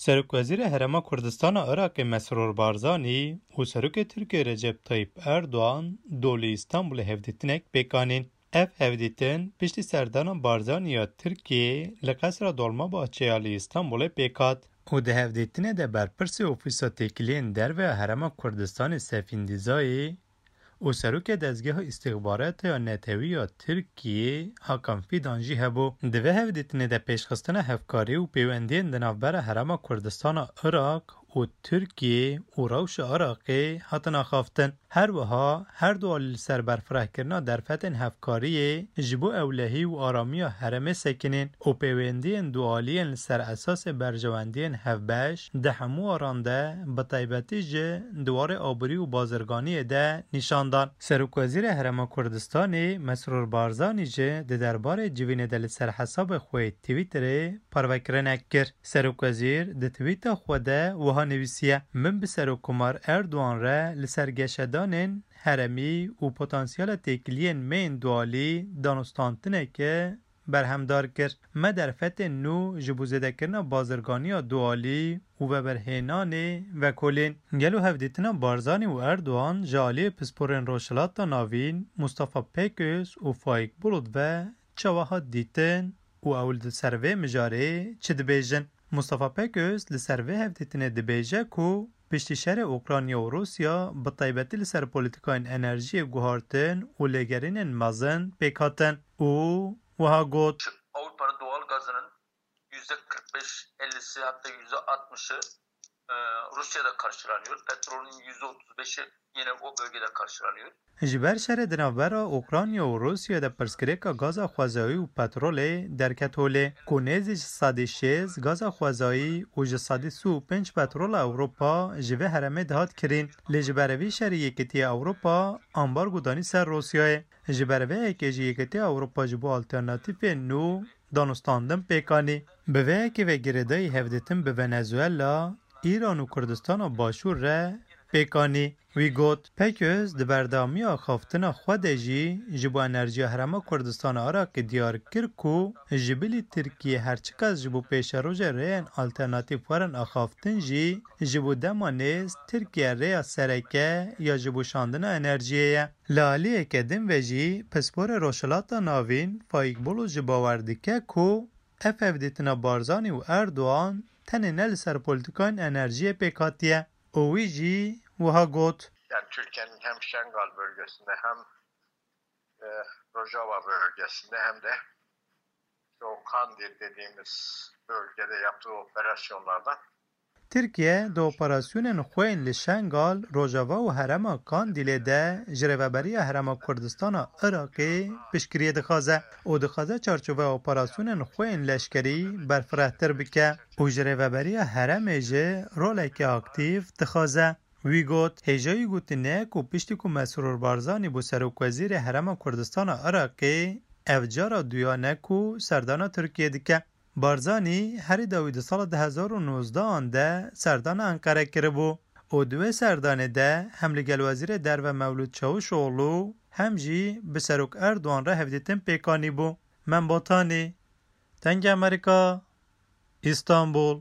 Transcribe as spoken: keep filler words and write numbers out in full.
Serokwezîrê Herêma Kurdistana Iraqê Mesrûr Barzanî û Serokê Tirkiyê Recep Tayyip Erdoğan do li Îstanbulê hevdîtinek pêk anîn. Ev hevdîtin piştî serdana Barzanî ya Tirkiyê li Qesra Dolmabahçe ya li Îstanbulê pêk hat û di hevdîtinê de berpirsê Ofîsa Têkiliyên Derve ya Herêma Kurdistanê Sefîn Dîzayê û Serokê Dezgeha Îstixbaratê ya Netewî ya Tirkiyê Hakan Fidan jî hebû. Di vê hevdîtinê de pêşxistina hevkarî û pêwendiyên di navbera Herêma Kurdistana Iraq û Tirkiyê û rewşa Iraqê hatin axaftin. Her wiha her du alî li ser berfirehkirina derfetên hevkariyê ji bo ewlehî û aramiya herêmê sekinîn û pêwendiyên dualiyên li ser esasê berjewendiyên hevbeş di hemû waran de, bi taybetî jî di warê aborî û bazirganiyê de nîşan dan. Serokwezîrê Herêma Kurdistanê Mesrûr Barzanî jî di derbarê civînê de li ser hesabê xwe yê Twitterê parvekirinek kir. Serokwezîr di twîta xwe de wiha nivîsiye: Min bi Serokkomar Erdogan re li ser geşedanên herêmî û potansiyela têkiliyên me yên dualî danûstantineke berhemdar kir. Me derfetên nû ji bo zêdekirina bazirganiya dualî û veberhênanê vekolîn. Gelo hevdîtina Barzanî û Erdogan ji aliyê pisporên Rojhilata Navîn Mustafa Peköz û Faik Bulut ve çawa hat dîtin û ew li ser vê mijarê çi dibêjin? Mustafa Peköz li ser vê hevdîtinê dibêje ku piştî şerê Ukrayna û Rûsya bi taybetî li ser polîtikayên enerjiyê guhartin û lêgerînên mezin pêk hatin û wiha got: Avrupa'da doğal gazının yüzde kırk beş ellisi, hatta yüzde altmışı, e, Rusya'da karşılanıyor. Petrolün yüzde otuz beşi yine o bölgede karşılanıyor. Ji ber şerê di navbera Ukrayna û Rûsya de pirsgirêka gaza xwezayî û petrolê derket holê, ku nêzî ji sedî şêst gaza xwezayî û ji sedî sî û pênc petrola Ewropa ji vê herêmê dihat kirîn. Lê ji ber vî şerî Yekîtiya Ewropa ambargo danî ser Rûsyayê. Ji ber vê yekê jî Yekîtiya Ewropa ji bo alternatîfên nû danûstandin pêk anî. Bi vê yekê ve girêdayî hevdîtin bi Venezuela, Îran û Kurdistana Başûr re pêk anî. Wî got: Peköz di berdewamiya axaftina xwe de jî ji bo enerjiya Herêma Kurdistana Iraqê diyar kir ku ji bilî Tirkiye her çiqas ji bo pêşerojê rêyên alternatîf werin axaftin jî ji bo dema nêz Tirkiye rêya sereke ya ji bo şandina enerjiyê ye. Li aliyeke din ve jî pisporê Rojhilata Navîn Faik Bulut jî bawer dike ku ev hevdîtina Barzanî û Erdogan tenê ne li ser polîtikayên enerjiyê pêk hatiye û wî jî wiha got: Yani Türkiye'nin hem Şengal bölgesinde hem e, Rojava bölgesinde hem de işte o Kandil dediğimiz bölgede yaptığı operasyonlarda Tirkiye di operasyonên xwe yên li Şengal, Rojava û herêma Kandîlê de ji Rêveberiya Herêma Kurdistana Iraqê piştgiriyê dixwaze û dixwaze çarçoveya operasyonên xwe yên leşkerî berfirehtir bike û ji Rêveberiya Herêmê jî roleke aktîf dixwaze. Wî got: Hêjayî gotinê ku piştî ku Mesrûr Barzanî bû Serokwezîrê Herêma Kurdistana Iraqê, ev cara duyan e ku serdana Tirkiyê dike. Barzanî herî dawî di sala du hezar û nozdehan de serdana Enqere kiribû û di wê serdanê de hem li gel Wezîrê Derve Mewlûd Çavuşoglu hem jî bi Serok Erdogan re hevdîtin pêk anîbû. Mem Botanî, Dengê Amerîka, Îstanbul.